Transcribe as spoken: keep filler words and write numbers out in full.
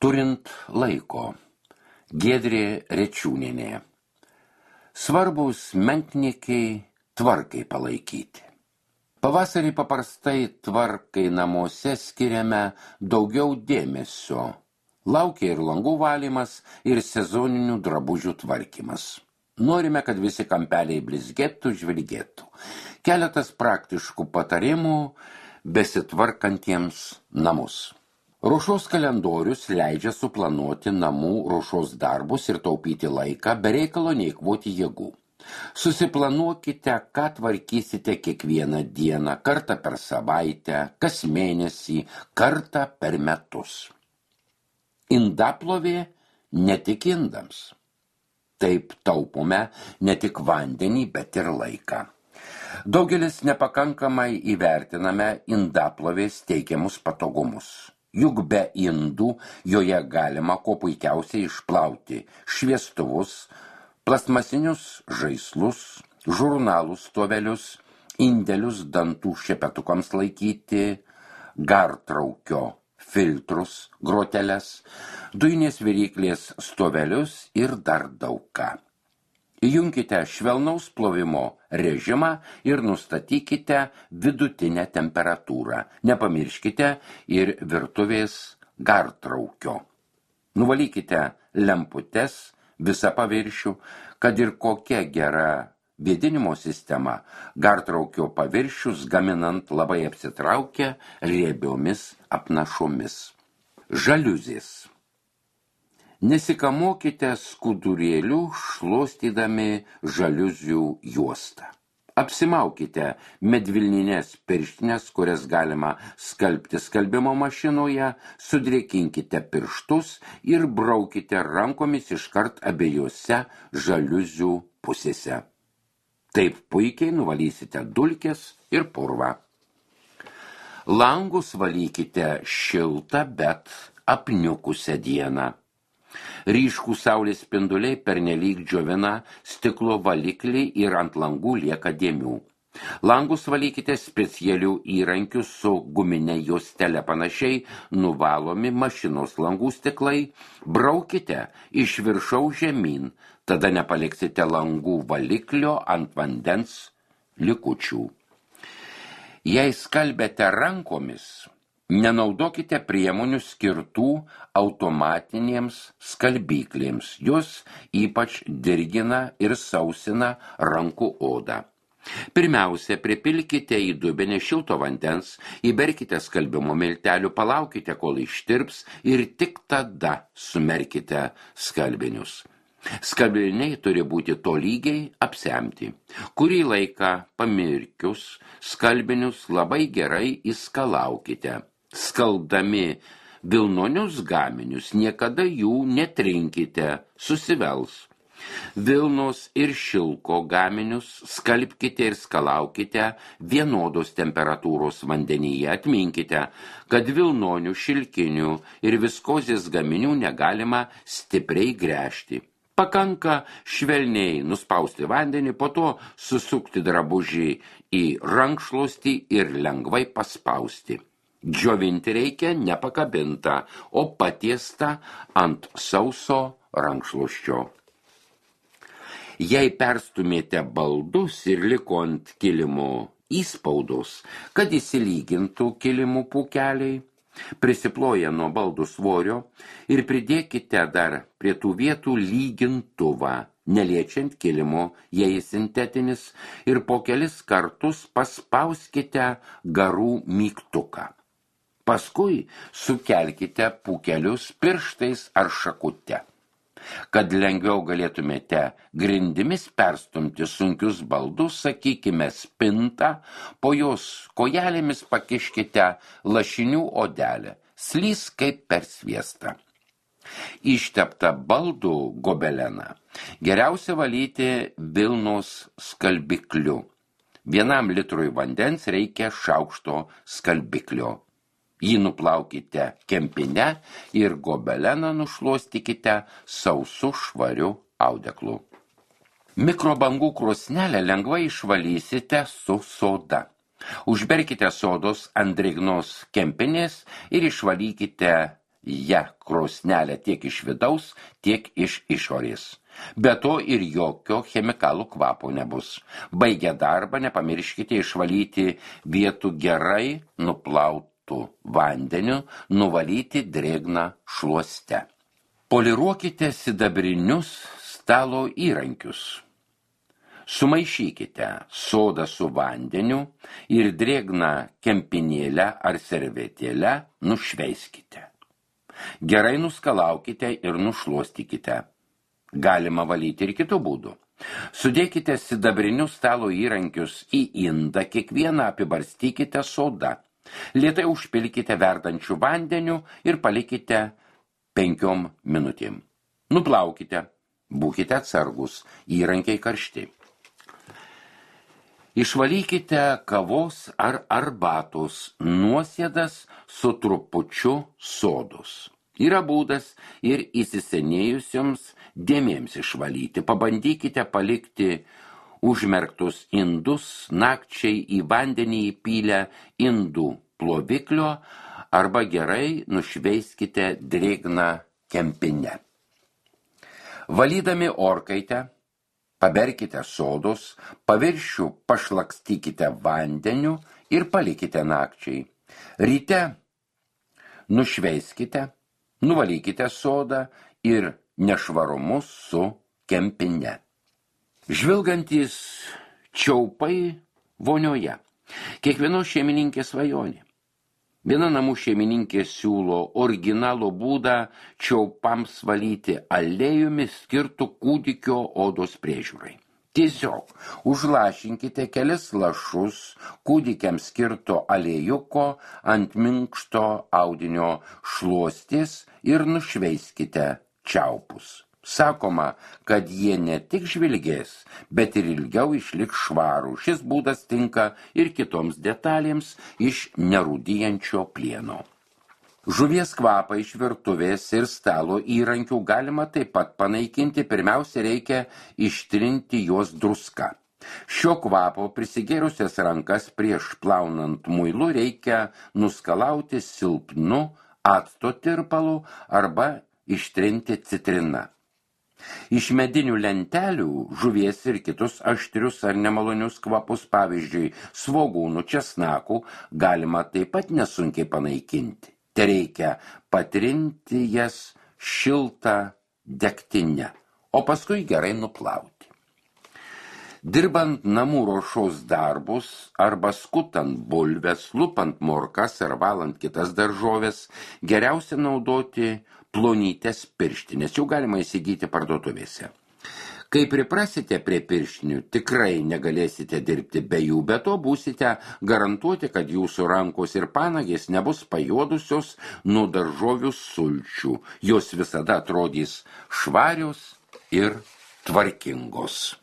Turint laiko. Giedrė Rečiūnienė. Svarbus menkniekiai tvarkai palaikyti. Pavasarį paprastai tvarkai namuose skiriame daugiau dėmesio. Laukia ir langų valymas, ir sezoninių drabužių tvarkymas. Norime, kad visi kampeliai blizgėtų, žvilgėtų. Keletas praktiškų patarimų besitvarkantiems namus. Ruošos kalendorius leidžia suplanuoti namų ruošos darbus ir taupyti laiką, be reikalo neeikvoti jėgų. Susiplanuokite, ką tvarkysite kiekvieną dieną, kartą per savaitę, kas mėnesį, kartą per metus. Indaplovė ne tik indams. Taip taupome ne tik vandenį, bet ir laiką. Daugelis nepakankamai įvertiname indaplovės teikiamus patogumus. Juk be indų joje galima kuo puikiausiai išplauti šviestuvus, plastmasinius žaislus, žurnalų stovelius, indelius dantų šepetukams laikyti, gartraukio filtrus, groteles, dujinės viryklės stovelius ir dar daug ką. Įjunkite švelnaus plovimo režimą ir nustatykite vidutinę temperatūrą. Nepamirškite ir virtuvės gartraukio. Nuvalykite lemputes visą paviršių, kad ir kokia gera vėdinimo sistema, gartraukio paviršius gaminant labai apsitraukia riebiomis apnašomis. Žaliuzės. Nesikamokite skudurėlių šluostydami žaliuzių juostą. Apsimaukite medvilninės pirštines, kurias galima skalbti skalbimo mašinoje, sudrėkinkite pirštus ir braukite rankomis iškart abiejose žaliuzių pusėse. Taip puikiai nuvalysite dulkes ir purvą. Langus valykite šiltą, bet apniukusią dieną. Ryškų saulės spinduliai pernelyg džiovina stiklo valiklį ir ant langų lieka dėmių. Langus valykite specialių įrankių su guminė juostele, panašiai nuvalomi mašinos langų stiklai, braukite iš viršaus žemyn, tada nepaliksite langų valiklio ant vandens likučių. Jei skalbėte rankomis, nenaudokite priemonių skirtų automatinėms skalbyklėms. Jos ypač dirgina ir sausina rankų odą. Pirmiausia, pripilkite į dubenį šilto vandens, įberkite skalbimo miltelių, palaukite, kol ištirps ir tik tada sumerkite skalbinius. Skalbiniai turi būti tolygiai apsemti. Kurį laiką pamirkius skalbinius labai gerai įskalaukite. Skaldami vilnonius gaminius niekada jų netrinkite, susivels. Vilnos ir šilko gaminius skalbkite ir skalaukite vienodos temperatūros vandenyje. Atminkite, kad vilnonių, šilkinių ir viskozės gaminių negalima stipriai gręžti. Pakanka švelniai nuspausti vandenį, po to susukti drabužį į rankšluostį ir lengvai paspausti. Džiovinti reikia nepakabintą, o patiestą ant sauso rankšluosčio. Jei perstumėte baldus ir liko ant kilimo įspaudos, kad įsilygintų kilimų pūkeliai, prisiploję nuo baldų svorio ir pridėkite dar prie tų vietų lygintuvą, neliečiant kilimo, jei sintetinis, ir po kelis kartus paspauskite garų mygtuką. Paskui sukelkite pūkelius pirštais ar šakute. Kad lengviau galėtumėte grindimis perstumti sunkius baldus, sakykime, spintą, po jos kojelėmis pakiškite lašinių odelę, slys kaip per sviestą. Išteptą baldų gobeleną geriausia valyti vilnos skalbikliu. Vienam litrui vandens reikia šaukšto skalbiklio. Jį nuplaukite kempine ir gobeleną nušluostykite sausu švariu audeklu. Mikrobangų krosnelę lengvai išvalysite su soda. Užberkite sodos ant drėgnos kempinės ir išvalykite ja krosnelę tiek iš vidaus, tiek iš išorės. Be to ir jokio chemikalų kvapo nebus. Baigę darbą nepamirškite išvalyti vietų gerai nuplautų vandeniu, nuvalyti drėgną šluoste. Poliruokite sidabrinius stalo įrankius. Sumaišykite sodą su vandeniu ir drėgną kempinėlę ar servetėlę nušveiskite. Gerai nuskalaukite ir nušluostykite. Galima valyti ir kitų būdų. Sudėkite sidabrinius stalo įrankius į indą, kiekvieną apibarstykite soda. Lėtai užpilkite verdančių vandeniu ir palikite penkiom minutėm. Nuplaukite, būkite atsargus, įrankiai karšti. Išvalykite kavos ar arbatos nuosėdas su trupučiu sodos. Yra būdas ir įsisenėjusioms dėmėms išvalyti. Pabandykite palikti užmerktus indus nakčiai į vandenį įpylę indų ploviklio arba gerai nušveiskite drėgną kempinę. Valydami orkaitę, paberkite sodos, paviršių pašlakstykite vandeniu ir palikite nakčiai. Ryte nušveiskite, nuvalykite sodą ir nešvarumus su kempine. Žvilgantys čiaupai vonioje. Kiekvienos šeimininkės svajonė. Viena namų šeimininkė siūlo originalų būdą čiaupams valyti aliejumi skirtų kūdikio odos priežiūrai. Tiesiog užlašinkite kelis lašus kūdikiams skirto aliejuko ant minkšto audinio šluostės ir nušveiskite čiaupus. Sakoma, kad jie ne tik žvilgės, bet ir ilgiau išliks švarų. Šis būdas tinka ir kitoms detalėms iš nerūdijančio plieno. Žuvies kvapą iš virtuvės ir stalo įrankių galima taip pat panaikinti. Pirmiausia, reikia ištrinti juos druska. Šio kvapo prisigėrusias rankas prieš plaunant muilu reikia nuskalauti silpnu acto tirpalu arba ištrinti citrina. Iš medinių lentelių žuvies ir kitus aštrius ar nemalonius kvapus, pavyzdžiui, svogūnų, česnakų, galima taip pat nesunkiai panaikinti. Te reikia patrinti jas šiltą degtinę, o paskui gerai nuplauti. Dirbant namų ruošos darbus arba skutant bulves, lupant morkas ar valant kitas daržoves, geriausia naudoti plonytes pirštinės, jau galima įsigyti parduotuvėse. Kai priprasite prie pirštinių, tikrai negalėsite dirbti be jų, be to būsite garantuoti, kad jūsų rankos ir panagės nebus pajuodusios nuo daržovių sulčių. Jos visada atrodys švarios ir tvarkingos.